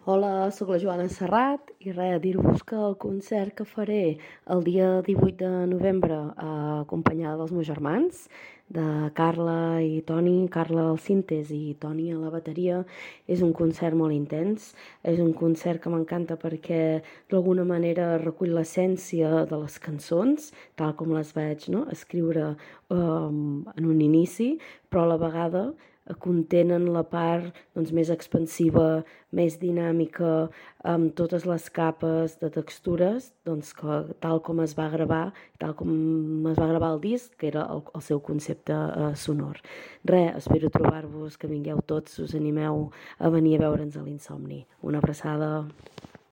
Hola, sóc la Joana Serrat i res, dir-vos que el concert que faré el dia 18 de novembre acompanyada dels meus germans, de Carla i Toni, Carla al sintes i Toni a la bateria, és un concert molt intens, és un concert que m'encanta perquè d'alguna manera recull l'essència de les cançons, tal com les vaig escriure en un inici, però a la vegada contenen la part més expansiva, més dinàmica, amb totes les capes de textures, tal com es va gravar, tal com es va gravar el disc, que era el seu concepte sonor. Espero trobar-vos, que vingueu tots, us animeu a venir a veure'ns a l'Insomni. Una abraçada.